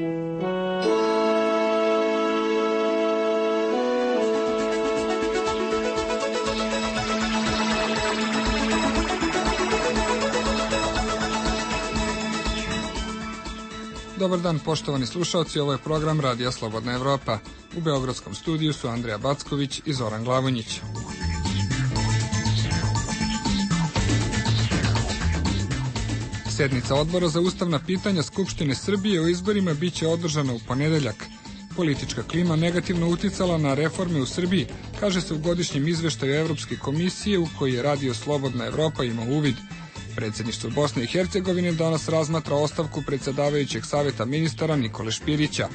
Dobar dan, poštovani slušalci, ovo je program Radija Slobodna Evropa. U beogradskom studiju su Andrija Backović i Zoran Glavonjić. Sednica Odbora za ustavna pitanja Skupštine Srbije o izborima biće održana u ponedeljak. Politička klima negativno uticala na reforme u Srbiji, kaže se u godišnjem izveštaju Evropske komisije u koji je Radio Slobodna Evropa imao uvid. Predsjedništvo Bosne i Hercegovine danas razmatra ostavku predsjedavajućeg saveta ministara Nikole Špirića.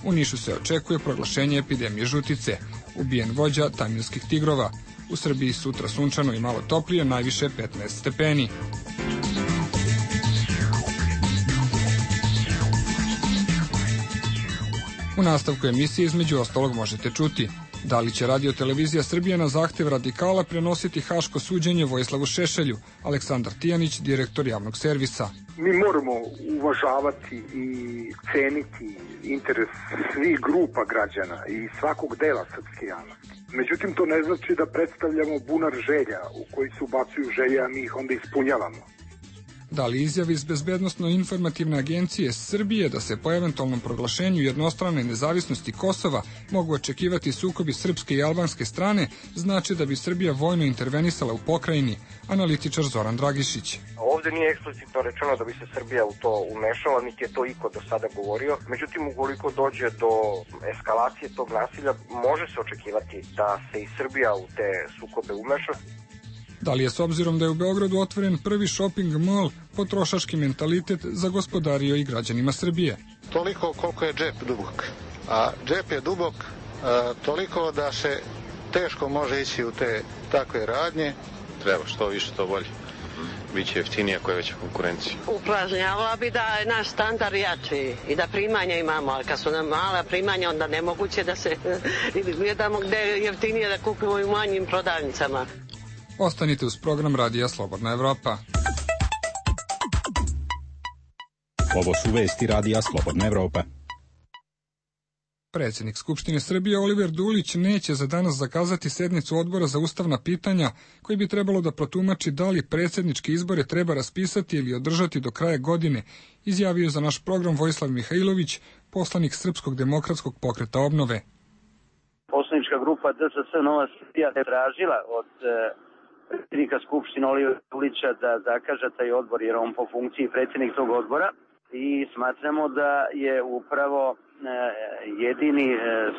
U Nišu se očekuje proglašenje epidemije žutice. Ubijen vođa tamilskih tigrova. U Srbiji sutra sunčano i malo toplije, najviše 15 stepeni. U nastavku emisije između ostalog možete čuti: da li će Radio-televizija Srbije na zahtev radikala prenositi haško suđenje Vojislavu Šešelju? Aleksandar Tijanić, direktor javnog servisa. Mi moramo uvažavati i ceniti interes svih grupa građana i svakog dela srpske javnosti. Međutim, to ne znači da predstavljamo bunar želja u koji se ubacuju želje, a mi ih onda ispunjavamo. Da li izjavi iz Bezbednosno-informativne agencije Srbije da se po eventualnom proglašenju jednostrane nezavisnosti Kosova mogu očekivati sukobi srpske i albanske strane, znači da bi Srbija vojno intervenisala u pokrajini? Analitičar Zoran Dragišić. Ovde nije eksplicitno rečeno da bi se Srbija u to umešala, niti je to iko do sada govorio. Međutim, ukoliko dođe do eskalacije tog nasilja, može se očekivati da se i Srbija u te sukobe umeša. Da li je, s obzirom da je u Beogradu otvoren prvi shopping mall, potrošački mentalitet zagospodario i građanima Srbije? Toliko koliko je džep dubok. A džep je dubok toliko da se teško može ići u te takve radnje. Treba što više to bolje. Biće jeftinije ako je veća konkurencija. Upražnjavala bi da je naš standard jači i da primanja imamo, ali kad su nam mala primanja, onda nemoguće da se gledamo gde je jeftinije da kupimo u manjim prodavnicama. Ostanite uz program Radija Slobodna Evropa. Ovo su vesti Radija Slobodna Evropa. Predsjednik Skupštine Srbije Oliver Dulić neće za danas zakazati sednicu Odbora za ustavna pitanja, koji bi trebalo da protumači da li predsjedničke izbore treba raspisati ili održati do kraja godine, izjavio za naš program Vojislav Mihajlović, poslanik Srpskog demokratskog pokreta Obnove. Poslanička grupa DSS Nova Srbija je tražila od predsjednika Skupštine Olivera Dulića da zakaže taj odbor, jer on po funkciji predsjednik tog odbora, i smatramo da je upravo jedini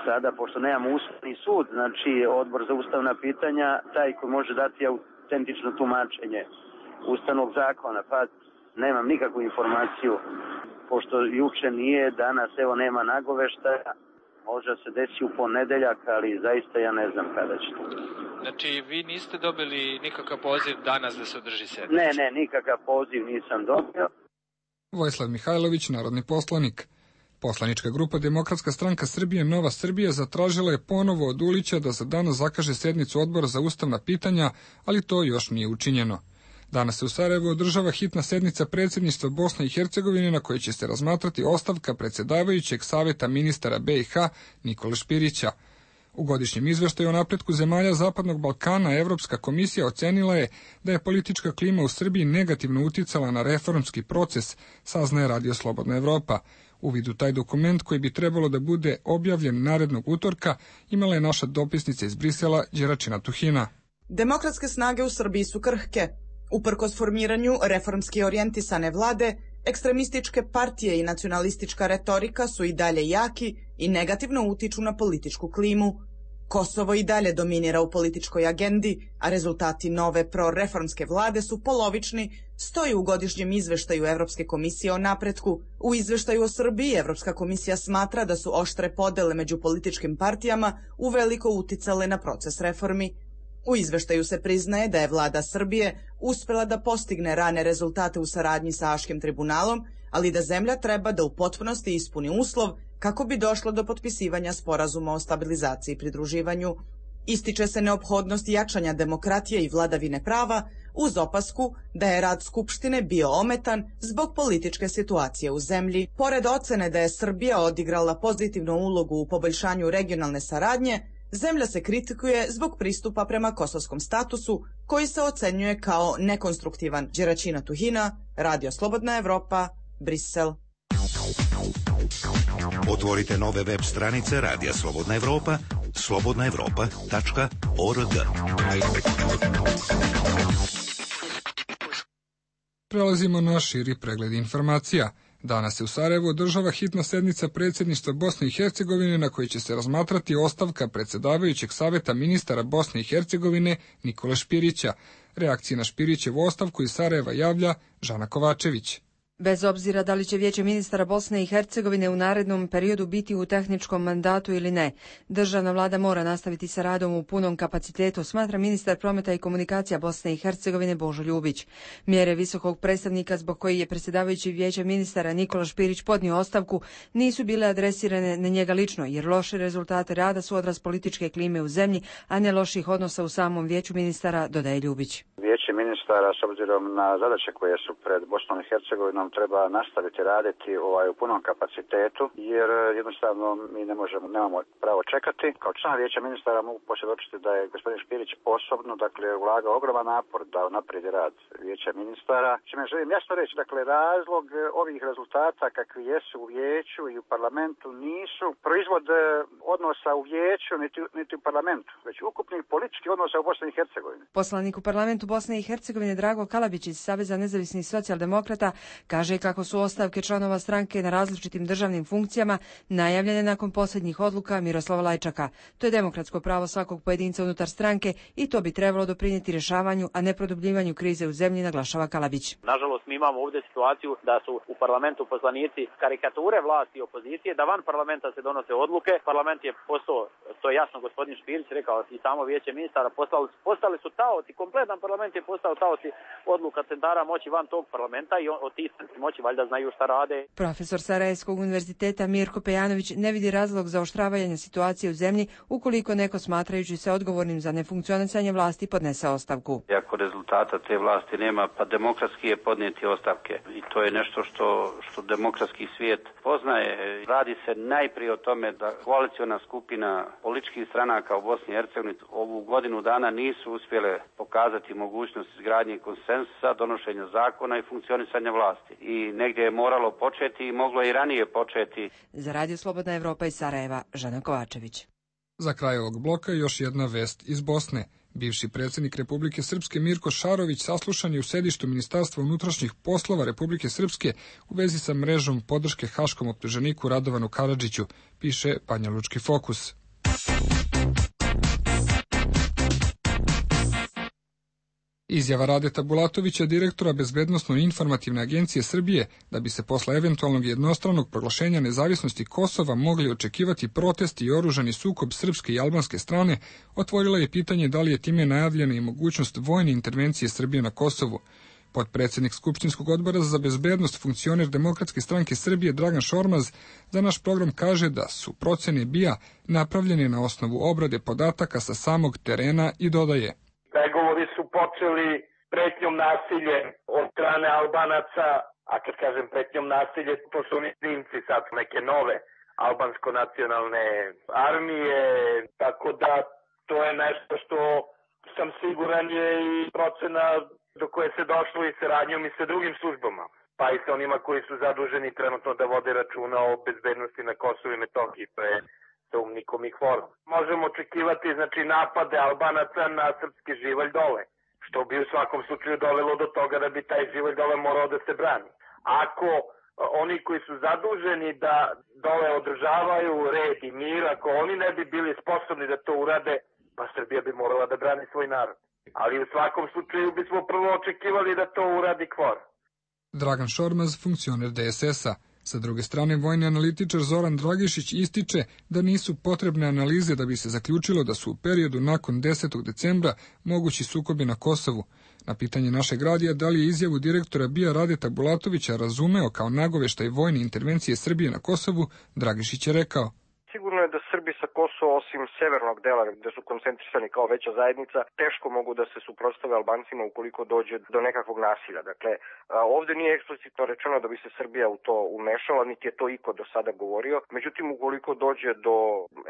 sada, pošto nemamo ustavni sud, znači odbor za ustavna pitanja, taj koji može dati autentično tumačenje ustavnog zakona, pa nemam nikakvu informaciju, pošto juče nije, danas evo nema nagoveštaja. Može se desi u ponedeljak, ali zaista ja ne znam kada će to. Znači, vi niste dobili nikakav poziv danas da se održi sednica? Ne, nikakav poziv nisam dobio. Vojislav Mihajlović, narodni poslanik. Poslanička grupa Demokratska stranka Srbije Nova Srbija zatražila je ponovo od Dulića da za danas zakaže sednicu Odbora za ustavna pitanja, ali to još nije učinjeno. Danas se u Sarajevu održava hitna sednica predsjedništva Bosne i Hercegovine na kojoj će se razmatrati ostavka predsjedavajućeg saveta ministara BiH Nikole Špirića. U godišnjem izveštaju o napretku zemalja Zapadnog Balkana Evropska komisija ocenila je da je politička klima u Srbiji negativno uticala na reformski proces, saznaje Radio Slobodna Evropa. Uvid u taj dokument, koji bi trebalo da bude objavljen narednog utorka, imala je naša dopisnica iz Brisela Đeračina Tuhina. Demokratske snage u Srbiji su krhke. Uprkos formiranju reformski orijentisane vlade, ekstremističke partije i nacionalistička retorika su i dalje jaki i negativno utiču na političku klimu. Kosovo i dalje dominira u političkoj agendi, a rezultati nove proreformske vlade su polovični, stoji u godišnjem izveštaju Evropske komisije o napretku. U izveštaju o Srbiji Evropska komisija smatra da su oštre podele među političkim partijama uveliko uticale na proces reformi. U izveštaju se priznaje da je vlada Srbije uspela da postigne rane rezultate u saradnji sa Haškim tribunalom, ali da zemlja treba da u potpunosti ispuni uslov kako bi došlo do potpisivanja sporazuma o stabilizaciji i pridruživanju. Ističe se neophodnost jačanja demokratije i vladavine prava, uz opasku da je rad Skupštine bio ometan zbog političke situacije u zemlji. Pored ocene da je Srbija odigrala pozitivnu ulogu u poboljšanju regionalne saradnje, zemlja se kritikuje zbog pristupa prema kosovskom statusu, koji se ocenjuje kao nekonstruktivan. Đeračina Tuhina, Radio Slobodna Evropa, Brisel. Otvorite nove web stranice Radija Slobodna Evropa, slobodnaevropa.org. Prelazimo na širi pregled informacija. Danas se u Sarajevu održava hitna sednica predsjedništva Bosne i Hercegovine na kojoj će se razmatrati ostavka predsjedavajućeg saveta ministara Bosne i Hercegovine Nikole Špirića. Reakcije na Špirićevu ostavku iz Sarajeva javlja Žana Kovačević. Bez obzira da li će Vijeće ministara Bosne i Hercegovine u narednom periodu biti u tehničkom mandatu ili ne, državna vlada mora nastaviti sa radom u punom kapacitetu, smatra ministar prometa i komunikacija Bosne i Hercegovine Božo Ljubić. Mjere visokog predstavnika zbog koji je predsjedavajući Vijeća ministara Nikola Špirić podnio ostavku nisu bile adresirane na njega lično, jer loše rezultate rada su odraz političke klime u zemlji, a ne loših odnosa u samom Vijeću ministara, dodaje Ljubić. Vijeće ministara, s obzirom na zadaće koje su pred Bosnom i Hercegovinom, treba nastaviti raditi u punom kapacitetu, jer jednostavno mi nemamo pravo čekati. Kao član Vijeća ministara mogu posvjedočiti da je gospodin Špirić osobno, ulagao ogroman napor da unaprijedi rad Vijeća ministara. Čime želim jasno reći, razlog ovih rezultata kakvi jesu u Vijeću i u parlamentu nisu proizvod odnosa u Vijeću niti u parlamentu, već ukupnih političkih odnosa u Bosni i Hercegovini. Poslanik u parlamentu Bosne i Hercegovine Drago Kalabić iz Saveza nezavisnih socijaldemokrata kaže kako su ostavke članova stranke na različitim državnim funkcijama najavljene nakon posljednjih odluka Miroslava Lajčaka. To je demokratsko pravo svakog pojedinca unutar stranke i to bi trebalo doprinijeti rješavanju, a ne produbljivanju krize u zemlji, naglašava Kalabić. Nažalost, mi imamo ovdje situaciju da su u parlamentu poslanici karikature vlasti i opozicije, da van parlamenta se donose odluke. Parlament je postao, to je jasno gospodin Špirić rekao, i samo Vijeće ministara postali su taoci, kompletan parlament je postao taoci odluka centara moći van tog parlamenta i od tih moći valjda znaju šta rade. Profesor Sarajevskog univerziteta Mirko Pejanović ne vidi razlog za oštravanje situacije u zemlji ukoliko neko smatrajući se odgovornim za nefunkcionisanje vlasti podnese ostavku. Ako rezultata te vlasti nema, pa demokratski je podnijeti ostavke. I to je nešto što demokratski svijet poznaje. Radi se najprije o tome da koaliciona skupina političkih stranaka u Bosni i Hercegovini ovu godinu dana nisu uspjele pokazati mogućnost izgradnje konsenzusa, donošenja zakona i funkcionisanja vlasti. I negdje je moralo početi i moglo i ranije početi. Za Radio Slobodna Evropa iz Sarajeva, Žana Kovačević. Za kraj ovog bloka još jedna vest iz Bosne. Bivši predsjednik Republike Srpske Mirko Šarović saslušan je u sedištu Ministarstva unutrašnjih poslova Republike Srpske u vezi sa mrežom podrške haškom optuženiku Radovanu Karadžiću, piše Banja Lučki Fokus. Izjava Radeta Bulatovića, direktora Bezbednosno-informativne agencije Srbije, da bi se posle eventualnog jednostranog proglašenja nezavisnosti Kosova mogli očekivati protesti i oružani sukob srpske i albanske strane, otvorila je pitanje da li je time najavljena i mogućnost vojne intervencije Srbije na Kosovu. Potpredsjednik Skupštinskog odbora za bezbednost, funkcioner Demokratske stranke Srbije Dragan Šormaz za naš program kaže da su procene BIA napravljene na osnovu obrade podataka sa samog terena i dodaje: pregovori su počeli pretnjom nasilje od strane Albanaca, a kad kažem pretnjom nasilje, to su oni klinci sad neke nove albansko-nacionalne armije, tako da to je nešto što sam siguran je i procena do koje se došlo i saradnjom i sa drugim službama, pa i sa onima koji su zaduženi trenutno da vode računa o bezbednosti na Kosovu i Metohiji, to je sa UNMIK-om i KFOR-om. Možemo očekivati napade Albanaca na srpski živalj dole, što bi u svakom slučaju dovelo do toga da bi taj živalj dole morao da se brani. Ako oni koji su zaduženi da dole održavaju red i mir, ako oni ne bi bili sposobni da to urade, pa Srbija bi morala da brani svoj narod. Ali u svakom slučaju bismo prvo očekivali da to uradi KFOR. Dragan Šormaz, funkcioner DSS-a. Sa druge strane, vojni analitičar Zoran Dragišić ističe da nisu potrebne analize da bi se zaključilo da su u periodu nakon 10. decembra mogući sukobi na Kosovu. Na pitanje našeg radija da li je izjavu direktora BIA Radeta Bulatovića razumeo kao nagoveštaj vojne intervencije Srbije na Kosovu, Dragišić je rekao: Sigurno je da Srbi sa Kosova, osim severnog dela gde su koncentrisani kao veća zajednica, teško mogu da se suprotstave Albancima ukoliko dođe do nekakvog nasilja. Dakle, ovde nije eksplicitno rečeno da bi se Srbija u to umešala, niti je to iko do sada govorio. Međutim, ukoliko dođe do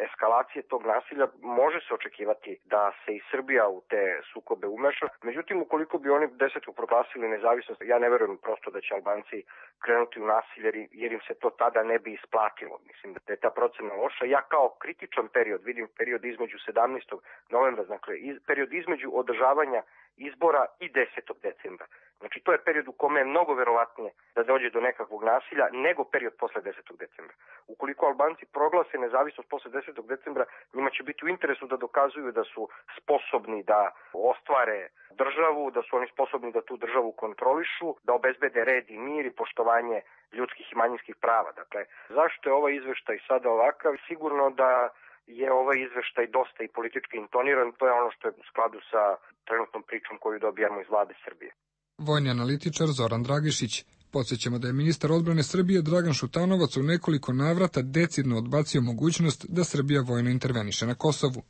eskalacije tog nasilja, može se očekivati da se i Srbija u te sukobe umeša. Međutim, ukoliko bi oni desetku proglasili nezavisnost, ja ne verujem prosto da će Albanci krenuti u nasilje, jer im se to tada ne bi isplatilo. Mislim da je ta procena loša. Ja kao kritičan period vidim period između 17. novembra, dakle period između održavanja izbora i 10. decembra. Znači to je period u kome je mnogo verovatnije da dođe do nekakvog nasilja nego period posle 10. decembra. Ukoliko Albanci proglase nezavisnost posle 10. decembra, njima će biti u interesu da dokazuju da su sposobni da ostvare državu, da su oni sposobni da tu državu kontrolišu, da obezbede red i mir i poštovanje ljudskih i manjinskih prava. Dakle, zašto je ovaj izveštaj sada ovakav? Sigurno da je ovaj izveštaj dosta i politički intoniran, to je ono što je u skladu sa trenutnom pričom koju dobijamo iz vlade Srbije. Vojni analitičar Zoran Dragišić. Podsjećamo da je ministar odbrane Srbije Dragan Šutanovac u nekoliko navrata decidno odbacio mogućnost da Srbija vojno interveniše na Kosovu.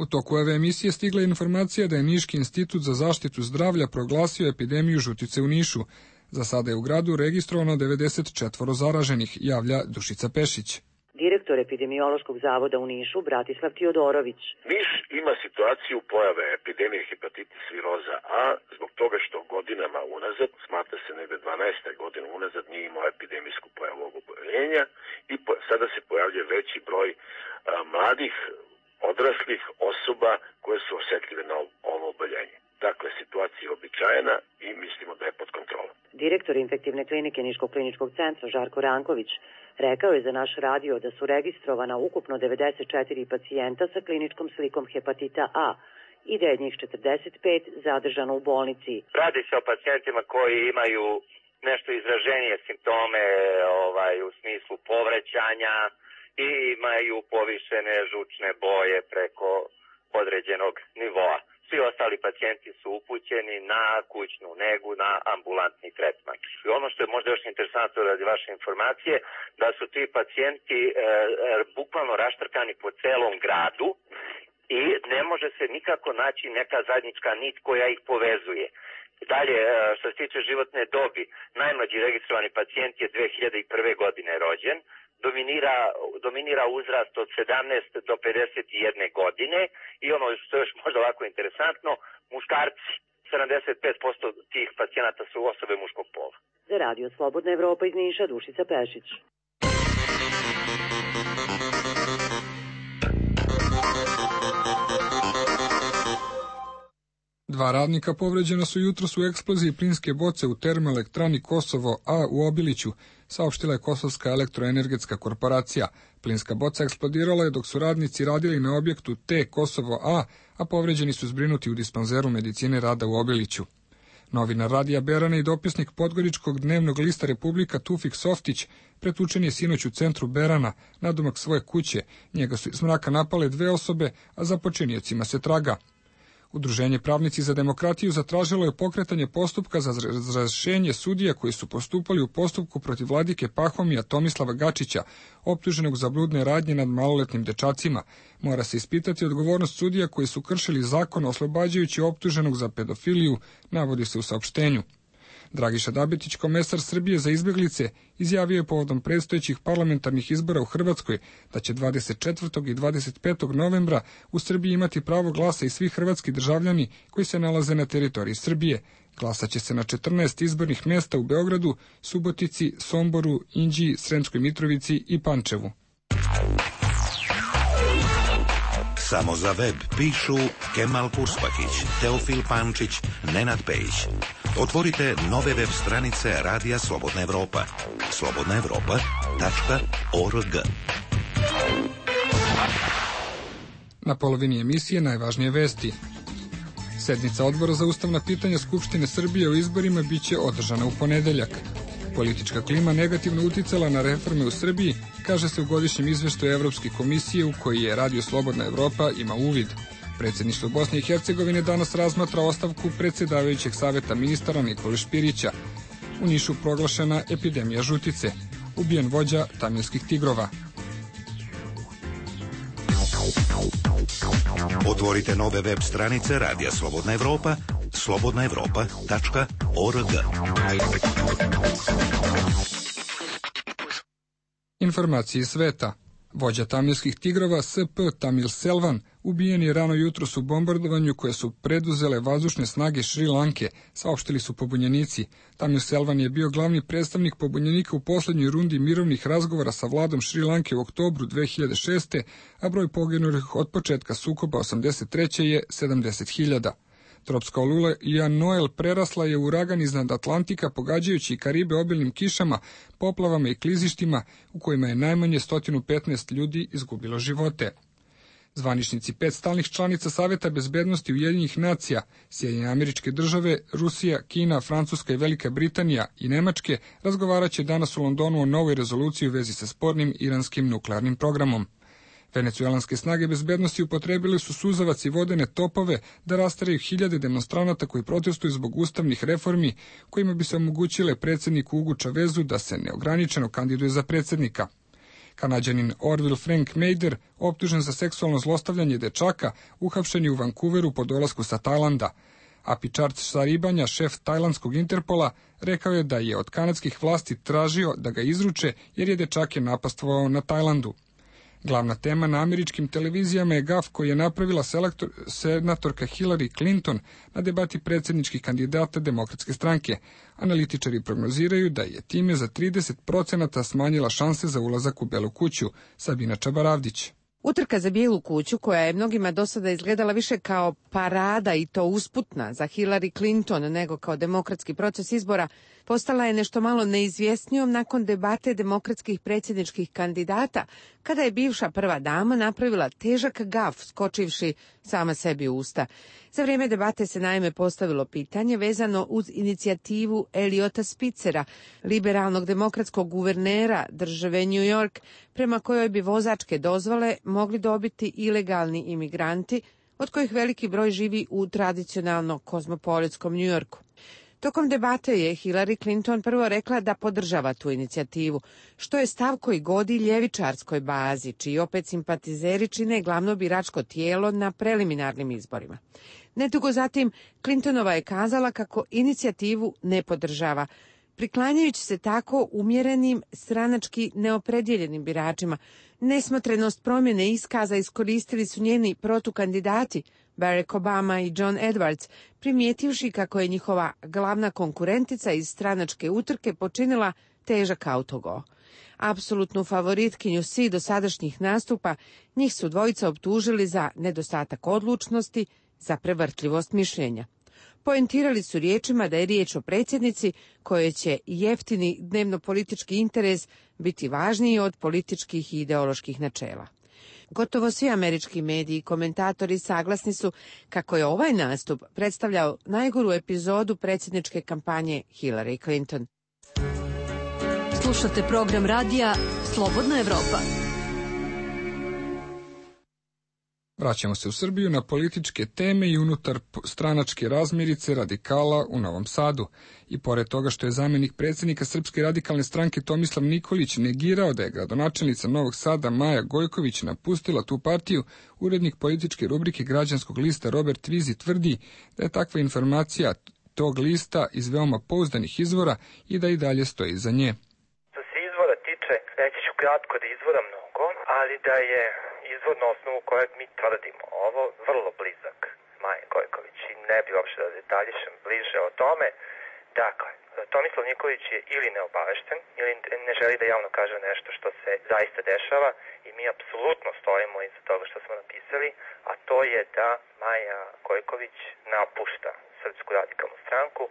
U toku ove emisije stigla informacija da je Niški institut za zaštitu zdravlja proglasio epidemiju žutice u Nišu. Za sada je u gradu registrovano 94 zaraženih, javlja Dušica Pešić. Direktor epidemiološkog zavoda u Nišu, Bratislav Tiodorović. Niš ima situaciju pojave epidemije hepatitis viroza A zbog toga što godinama unazad, smatra se negde 12. godina unazad, nije imao epidemijsku pojavu ovog oboljenja i sada se pojavljuje veći broj mladih, odraslih osoba koje su osetljive na ovo oboljenje. Dakle, situacija je običajena i mislimo da je pod kontrolom. Direktor infektivne klinike Niškog kliničkog centra Žarko Ranković rekao je za naš radio da su registrovana ukupno 94 pacijenta sa kliničkom slikom hepatita A i da je njih 45 zadržano u bolnici. Radi se o pacijentima koji imaju nešto izraženije simptome u smislu povraćanja i imaju povišene žučne boje preko određenog nivoa. Svi ostali pacijenti su upućeni na kućnu negu, na ambulantni tretman. I ono što je možda još interesantno radi vaše informacije, da su ti pacijenti bukvalno raštrkani po celom gradu i ne može se nikako naći neka zajednička nit koja ih povezuje. Dalje, što se tiče životne dobi, najmlađi registrovani pacijent je 2001. godine rođen, dominira uzrast od 17 do 51 godine i ono što je još možda ovako interesantno, muškarci, 75% tih pacijenata su osobe muškog pola. Za Radio Slobodna Evropa iz Niša, Dušica Pešić. Dva radnika povređena su jutros u eksploziji plinske boce u termoelektrani Kosovo A u Obiliću, saopštila je Kosovska elektroenergetska korporacija. Plinska boca eksplodirala je dok su radnici radili na objektu T Kosovo a povređeni su zbrinuti u dispanzeru medicine rada u Obiliću. Novinar Radija Berana i dopisnik podgoričkog dnevnog lista Republika Tufik Softić pretučen je sinoć u centru Berana, nadomak svoje kuće. Njega su iz mraka napale dve osobe, a za počiniocima se traga. Udruženje Pravnici za demokratiju zatražilo je pokretanje postupka za razrešenje sudija koji su postupali u postupku protiv vladike Pahomija Tomislava Gačića, optuženog za bludne radnje nad maloletnim dečacima. Mora se ispitati odgovornost sudija koji su kršili zakon oslobađajući optuženog za pedofiliju, navodi se u saopštenju. Dragiša Dabetić, komesar Srbije za izbjeglice, izjavio je povodom predstojećih parlamentarnih izbora u Hrvatskoj da će 24. i 25. novembra u Srbiji imati pravo glasa i svi hrvatski državljani koji se nalaze na teritoriji Srbije. Glasaće se na 14 izbornih mjesta u Beogradu, Subotici, Somboru, Inđiji, Sremskoj Mitrovici i Pančevu. Samo za web pišu Kemal Kurspakić, Teofil Pančić, Nenad Pejić. Otvorite nove web stranice Radija Slobodna Evropa. slobodnaevropa.org. Na polovini emisije najvažnije vesti. Sednica Odbora za ustavna pitanja Skupštine Srbije o izborima biće održana u ponedeljak. Politička klima negativno uticala na reforme u Srbiji, kaže se u godišnjem izveštaju Evropske komisije u koji je Radio Slobodna Evropa ima uvid. Predsjedništvo Bosne i Hercegovine danas razmatra ostavku predsjedavajućeg saveta ministara Nikole Špirića. U Nišu proglašena epidemija žutice. ubijen vođa Tamilskih tigrova. Otvorite nove web stranice Radija Slobodna Evropa, slobodnaevropa.org. Informacije iz sveta. Vođa Tamilskih tigrova SP Tamil Selvan ubijen je rano jutros u bombardovanju koje su preduzele vazdušne snage Šri Lanke, saopštili su pobunjenici. Tamil Selvan je bio glavni predstavnik pobunjenika u poslednjoj rundi mirovnih razgovora sa vladom Šri Lanke u oktobru 2006. a broj poginulih od početka sukoba 83. je 70.000. Tropska olula Ian Noel prerasla je u uragan iznad Atlantika, pogađajući Karibe obilnim kišama, poplavama i klizištima u kojima je najmanje 115 ljudi izgubilo živote. Zvaničnici 5 stalnih članica Saveta bezbednosti Ujedinjenih nacija, Sjedinjene Američke Države, Rusija, Kina, Francuska i Velika Britanija i Nemačke razgovaraće danas u Londonu o novoj rezoluciji u vezi sa spornim iranskim nuklearnim programom. Venecuelanske snage bezbednosti upotrebili su suzavac i vodene topove da rasteraju hiljade demonstranata koji protestuju zbog ustavnih reformi kojima bi se omogućile predsjedniku Hugu Chavezu da se neograničeno kandiduje za predsjednika. Kanađanin Orville Frank Mader, optužen za seksualno zlostavljanje dečaka, uhapšen je u Vancouveru po dolasku sa Tajlanda. Apičard Saribanja, šef tajlandskog Interpola, rekao je da je od kanadskih vlasti tražio da ga izruče jer je dečake napastvovao na Tajlandu. Glavna tema na američkim televizijama je gaf koji je napravila senatorka Hillary Clinton na debati predsjedničkih kandidata Demokratske stranke. Analitičari prognoziraju da je time za 30% smanjila šanse za ulazak u Belu kuću. Sabina Čabaravdić. Utrka za Bijelu kuću, koja je mnogima do sada izgledala više kao parada i to usputna za Hillary Clinton nego kao demokratski proces izbora, postala je nešto malo neizvjesnijom nakon debate demokratskih predsjedničkih kandidata, kada je bivša prva dama napravila težak gaf skočivši sama sebi u usta. Za vrijeme debate se naime postavilo pitanje vezano uz inicijativu Eliota Spitzera, liberalnog demokratskog guvernera države New York, prema kojoj bi vozačke dozvole mogli dobiti ilegalni imigranti, od kojih veliki broj živi u tradicionalno kozmopolitskom New Yorku. Tokom debate je Hillary Clinton prvo rekla da podržava tu inicijativu, što je stav koji godi ljevičarskoj bazi, čiji opet simpatizeri čine glavno biračko tijelo na preliminarnim izborima. Nedugo zatim, Clintonova je kazala kako inicijativu ne podržava, priklanjajući se tako umjerenim, stranački neopredjeljenim biračima. Nesmotrenost promjene iskaza iskoristili su njeni protukandidati, Barack Obama i John Edwards, primijetivši kako je njihova glavna konkurentica iz stranačke utrke počinila težak autogol. Apsolutnu favoritkinju svih dosadašnjih nastupa, njih su dvojica optužili za nedostatak odlučnosti, za prevrtljivost mišljenja. Poentirali su riječima da je riječ o predsjednici kojoj će jeftini dnevno-politički interes biti važniji od političkih i ideoloških načela. Gotovo svi američki mediji i komentatori saglasni su kako je ovaj nastup predstavljao najgoru epizodu predsjedničke kampanje Hillary Clinton. Slušate program radija Slobodna Evropa. Vraćamo se u Srbiju na političke teme i unutar stranačke razmirice radikala u Novom Sadu. I pored toga što je zamjenik predsjednika Srpske radikalne stranke Tomislav Nikolić negirao da je gradonačelnica Novog Sada Maja Gojković napustila tu partiju, urednik političke rubrike Građanskog lista Robert Vizi tvrdi da je takva informacija tog lista iz veoma pouzdanih izvora i da i dalje stoji iza nje. Što se izvora tiče, reći ću kratko da izvora mnogo, ali da je izvor na osnovu kojeg mi tvrdimo ovo vrlo blizak Maje Gojković i ne bi uopšte da detaljišem bliže o tome. Dakle, Tomislav Nikolić je ili neobavešten ili ne želi da javno kaže nešto što se zaista dešava i mi apsolutno stojimo iza toga što smo napisali, a to je da Maja Gojković napušta Srpsku radikalnu stranku,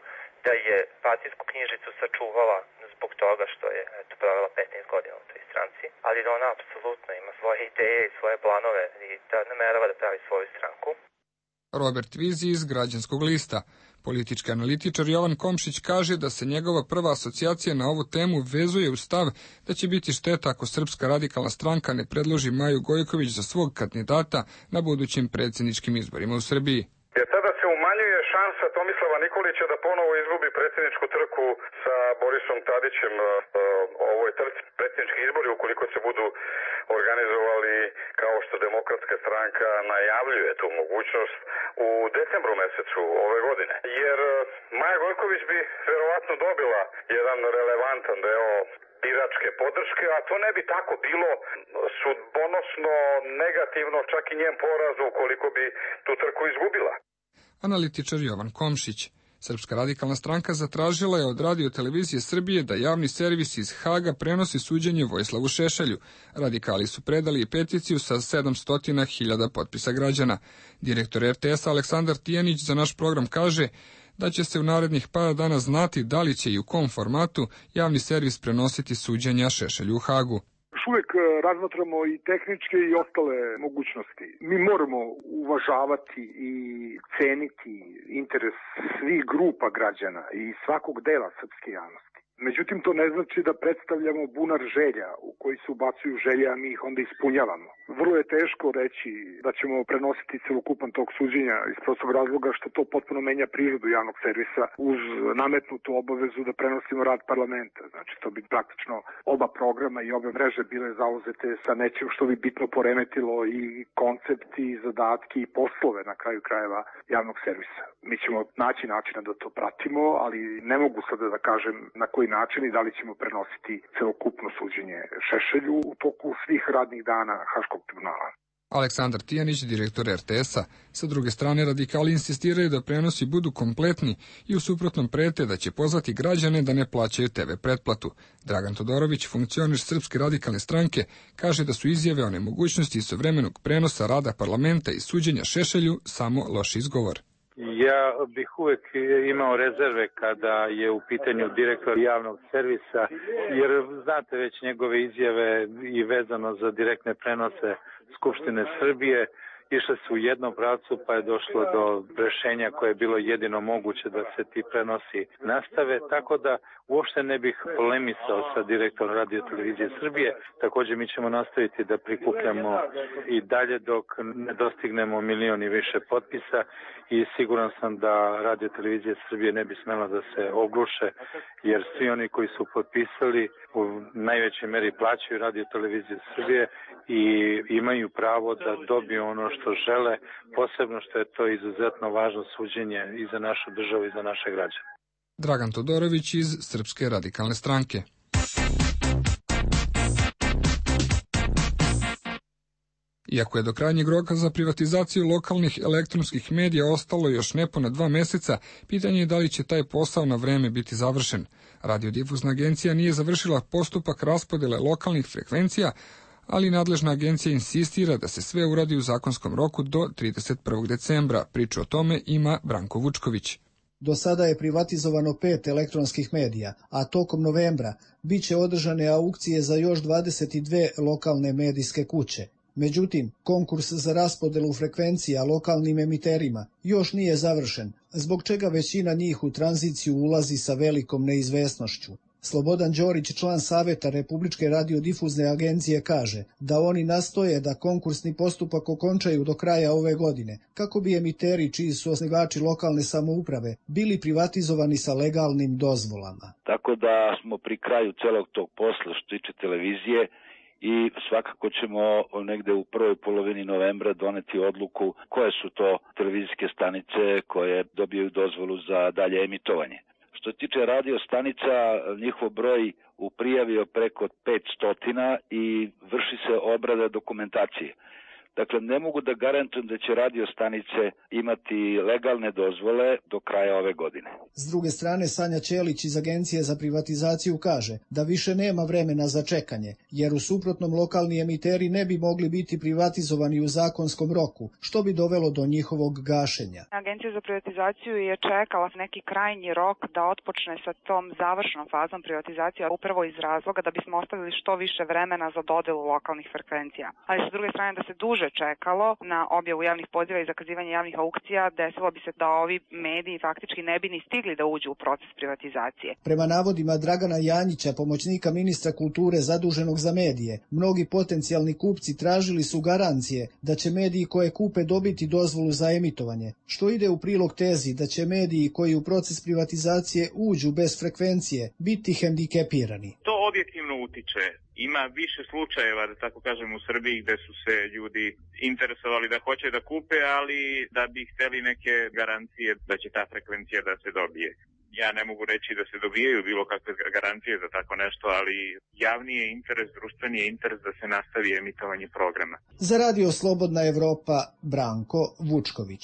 da je partijsku knjižicu sačuvala zbog toga što je provela 15 godina u toj stranci, ali da ona apsolutno ima svoje ideje i svoje planove i da namerava da pravi svoju stranku. Robert Vizi iz Građanskog lista. Politički analitičar Jovan Komšić kaže da se njegova prva asocijacija na ovu temu vezuje u stav da će biti šteta ako Srpska radikalna stranka ne predloži Maju Gojković za svog kandidata na budućim predsjedničkim izborima u Srbiji. Jer tada se umanjuje šansa Tomislava Nikolića da ponovo izgubi predsjedničku trku sa Borisom Tadićem. Ovo je predsjednički izbori ukoliko se budu organizovali kao što Demokratska stranka najavljuje tu mogućnost u decembru mesecu ove godine. Jer Maja Gojković bi verovatno dobila jedan relevantan deo biračke podrške, a to ne bi tako bilo sudbonosno negativno čak i njen poraz ukoliko bi tu trku izgubila. Analitičar Jovan Komšić. Srpska radikalna stranka zatražila je od Radio televizije Srbije da javni servis iz Haga prenosi suđenje Vojislavu Šešelju. Radikali su predali i peticiju sa 700.000 potpisa građana. Direktor RTS Aleksandar Tijanić za naš program kaže da će se u narednih par dana znati da li će i u kom formatu javni servis prenositi suđenja Šešelju u Hagu. Uvijek razmatramo i tehničke i ostale mogućnosti. Mi moramo uvažavati i ceniti interes svih grupa građana i svakog dela srpske javnosti. Međutim, to ne znači da predstavljamo bunar želja u koji se ubacuju želje, a mi ih onda ispunjavamo. Vrlo je teško reći da ćemo prenositi celokupan tog suđenja iz prostog razloga što to potpuno menja prirodu javnog servisa uz nametnutu obavezu da prenosimo rad parlamenta. Znači, to bi praktično oba programa i obe mreže bile zauzete sa nečim što bi bitno poremetilo i koncept i zadatki i poslove na kraju krajeva javnog servisa. Mi ćemo naći načina da to pratimo, ali ne mogu sada da kažem na koji način i da li ćemo prenositi celokupno suđenje Šešelju u toku svih radnih dana Haškog tribunala. Aleksandar Tijanić, direktor RTS-a. Sa druge strane, radikali insistiraju da prenosi budu kompletni i u suprotnom prete da će pozvati građane da ne plaćaju TV pretplatu. Dragan Todorović, funkcioner Srpske radikalne stranke, kaže da su izjave o nemogućnosti istovremenog prenosa rada parlamenta i suđenja Šešelju samo loš izgovor. Ja bih uvek imao rezerve kada je u pitanju direktor javnog servisa, jer znate već njegove izjave i vezano za direktne prenose Skupštine Srbije, išle su u jednom pravcu pa je došlo do rešenja koje je bilo jedino moguće da se ti prenosi nastave, tako da uopšte ne bih polemisao sa direktorom Radio televizije Srbije. Također mi ćemo nastaviti da prikupljamo i dalje dok ne dostignemo 1 milion i više potpisa i siguran sam da Radio televizije Srbije ne bi smela da se ogluše, jer svi oni koji su potpisali u najvećoj meri plaćaju Radio televiziju Srbije i imaju pravo da dobiju ono što žele, posebno što je to izuzetno važno suđenje i za našu državu i za naše građane. Dragan Todorović iz Srpske radikalne stranke. Iako je do krajnjeg roka za privatizaciju lokalnih elektronskih medija ostalo još nepuna 2 meseca, pitanje je da li će taj posao na vreme biti završen. Radiodifuzna agencija nije završila postupak raspodele lokalnih frekvencija, ali nadležna agencija insistira da se sve uradi u zakonskom roku do 31. decembra. Priču o tome ima Branko Vučković. Do sada je privatizovano 5 elektronskih medija, a tokom novembra biće održane aukcije za još 22 lokalne medijske kuće. Međutim, konkurs za raspodelu frekvencija lokalnim emiterima još nije završen, zbog čega većina njih u tranziciju ulazi sa velikom neizvesnošću. Slobodan Đorić, član Saveta Republičke radiodifuzne agencije, kaže da oni nastoje da konkursni postupak okončaju do kraja ove godine, kako bi emiteri čiji su osnivači lokalne samouprave bili privatizovani sa legalnim dozvolama. Tako da smo pri kraju celog tog posla što tiče televizije i svakako ćemo negde u prvoj polovini novembra doneti odluku koje su to televizijske stanice koje dobijaju dozvolu za dalje emitovanje. Što se tiče radio stanica, njihov broj u prijavi je preko 500 i vrši se obrada dokumentacije. Dakle, ne mogu da garantujem da će radio stanice imati legalne dozvole do kraja ove godine. S druge strane, Sanja Ćelić iz Agencije za privatizaciju kaže da više nema vremena za čekanje, jer u suprotnom lokalni emiteri ne bi mogli biti privatizovani u zakonskom roku, što bi dovelo do njihovog gašenja. Agencija za privatizaciju je čekala neki krajnji rok da otpočne sa tom završnom fazom privatizacije, upravo iz razloga da bismo ostavili što više vremena za dodelu lokalnih frekvencija. Ali sa druge strane da se duže duže čekalo na objavu javnih poziva i zakazivanje javnih aukcija, desilo bi se da ovi mediji faktički ne bi ni stigli da uđu u proces privatizacije. Prema navodima Dragana Janjića, pomoćnika ministra kulture zaduženog za medije, mnogi potencijalni kupci tražili su garancije da će mediji koje kupe dobiti dozvolu za emitovanje, što ide u prilog tezi da će mediji koji u proces privatizacije uđu bez frekvencije biti hendikepirani. To objektivno utiče. Ima više slučajeva, da tako kažem, u Srbiji gde su se ljudi interesovali da hoće da kupe, ali da bi hteli neke garancije da će ta frekvencija da se dobije. Ja ne mogu reći da se dobijaju bilo kakve garancije za tako nešto, ali javni je interes, društveni je interes da se nastavi emitovanje programa. Za Radio Slobodna Evropa, Branko Vučković.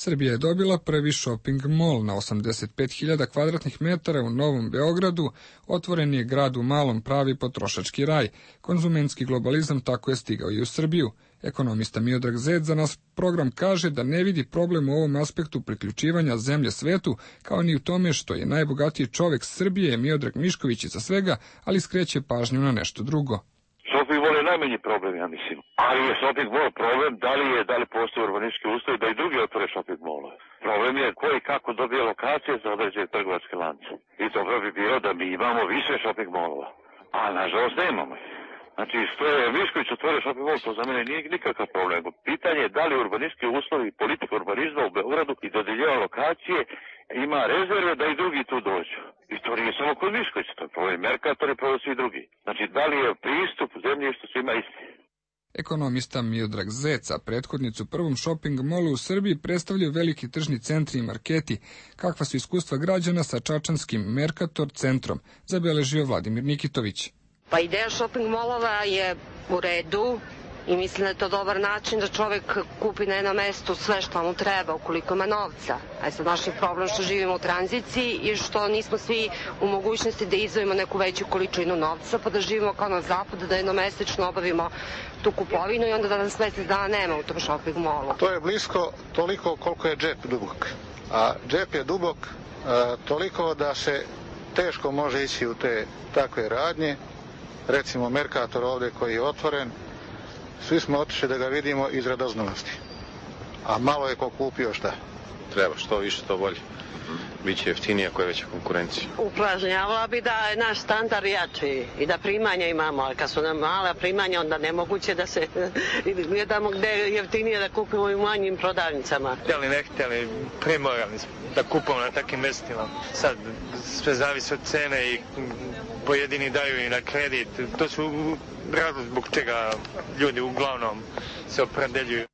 Srbija je dobila prvi shopping mall na 85.000 kvadratnih metara u Novom Beogradu, otvoren je grad u malom pravi potrošački raj. Konzumentski globalizam tako je stigao i u Srbiju. Ekonomista Miodrag Zec za nas program kaže da ne vidi problem u ovom aspektu priključivanja zemlje svetu, kao ni u tome što je najbogatiji čovek Srbije Miodrag Mišković iza svega, ali skreće pažnju na nešto drugo. Shopping mall je najmanji problem, ja mislim. Ali je shopping mall problem, da li postoje urbanistički uslovi da i drugi otvore shopping mallove. Problem je ko i kako dobije lokacije za određene trgovačke lance. I dobro bi bilo da mi imamo više shopping mallova. A nažalost nemamo. Znači, što je Mišković otvorio shopping mall, to za mene nije nikakav problem. Pitanje je da li urbanistički uslovi i politika urbanizma u Beogradu i dodeljeva lokacije ima rezerve da i drugi tu dođu. I to nije samo kod Miškovića, to je problem Merkator i problem svi drugi. Znači, da li je pristup zemljištu svima isti? Ekonomista Miodrag Zeca, prethodnicu prvom shopping mallu u Srbiji, predstavljaju veliki tržni centri i marketi. Kakva su iskustva građana sa čačanskim Merkator centrom, zabeležio Vladimir Nikitović. Pa ideja shopping mallova je u redu i mislim da je to dobar način da čovek kupi na jednom mestu sve što mu treba ukoliko ima novca. A sad naš je problem što živimo u tranziciji i što nismo svi u mogućnosti da izdvojimo neku veću količinu novca, pa da živimo kao na zapadu, da jednomesečno obavimo tu kupovinu i onda da nas mesec dana nema u tom shopping mallu. To je blisko toliko koliko je džep dubok. A džep je dubok toliko da se teško može ići u te takve radnje. Recimo Merkator ovde koji je otvoren, svi smo otišli da ga vidimo iz radoznalosti. A malo je ko kupio šta. Treba, što više to bolje. Biće jeftinije ako je veća konkurencija. Upražnjavala bi da je naš standard jači i da primanja imamo, ali kad su nam mala primanja, onda nemoguće da se gledamo gde je jeftinije da kupimo u manjim prodavnicama. Htjeli ne htjeli, primorali smo da kupamo na takvim mestima. Sad sve zavisi od cene i pojedini daju i na kredit. To su razlog zbog čega ljudi uglavnom se opredeljuju.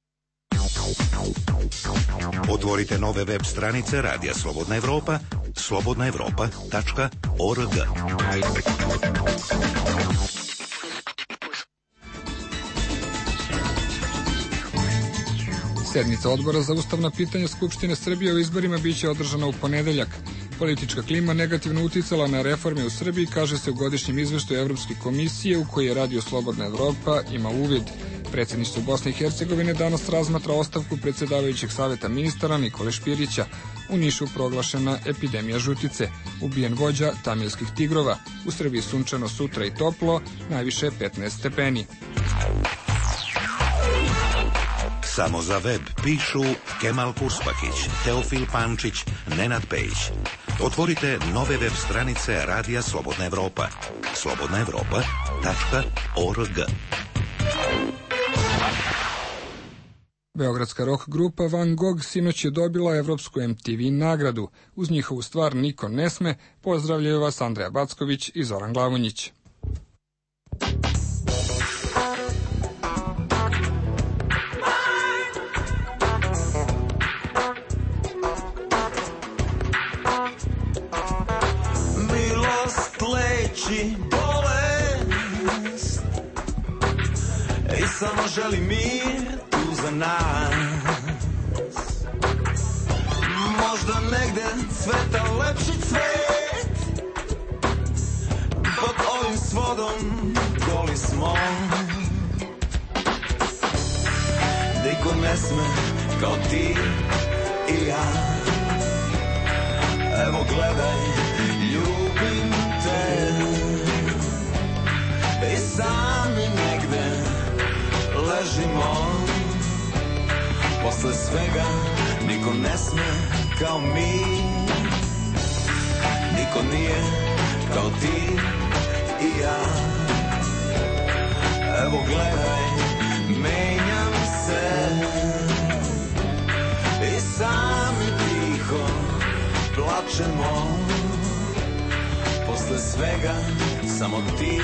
Otvorite nove web stranice Radija Slobodna Evropa, slobodnaevropa.org. Sednica odbora za ustavna pitanja Skupštine Srbije o izborima biće održana u ponedeljak. Politička klima negativno uticala na reforme u Srbiji, kaže se u godišnjem izveštaju Evropske komisije u kojoj je Radio Slobodna Evropa ima uvid. Predsjedništvo Bosne i Hercegovine danas razmatra ostavku predsjedavajućeg saveta ministara Nikole Špirića. U Nišu proglašena epidemija žutice. Ubijen vođa tamilskih tigrova. U Srbiji sunčano sutra i toplo, najviše 15 stepeni. Samo za web pišu Kemal Kurspakić, Teofil Pančić, Nenad Pejić. Otvorite nove web stranice Radija Slobodna Evropa. slobodnaevropa.org. Beogradska rock grupa Van Gogh sinoć je dobila evropsku MTV nagradu. Uz njihovu stvar Niko ne sme, pozdravljaju vas Andreja Backović i Zoran Glavonjić. Milost leči bolest i samo želi mir za nas. Možda negde cveta lepši cvet, pod ovim svodom goli smo. Niko ne sme kao ti i ja. Evo gledaj ležimo. Posle svega niko ne sme kao mi, niko nije kao ti i ja. Evo gledaj, menjam se i sami tiho plačemo. Posle svega samo ti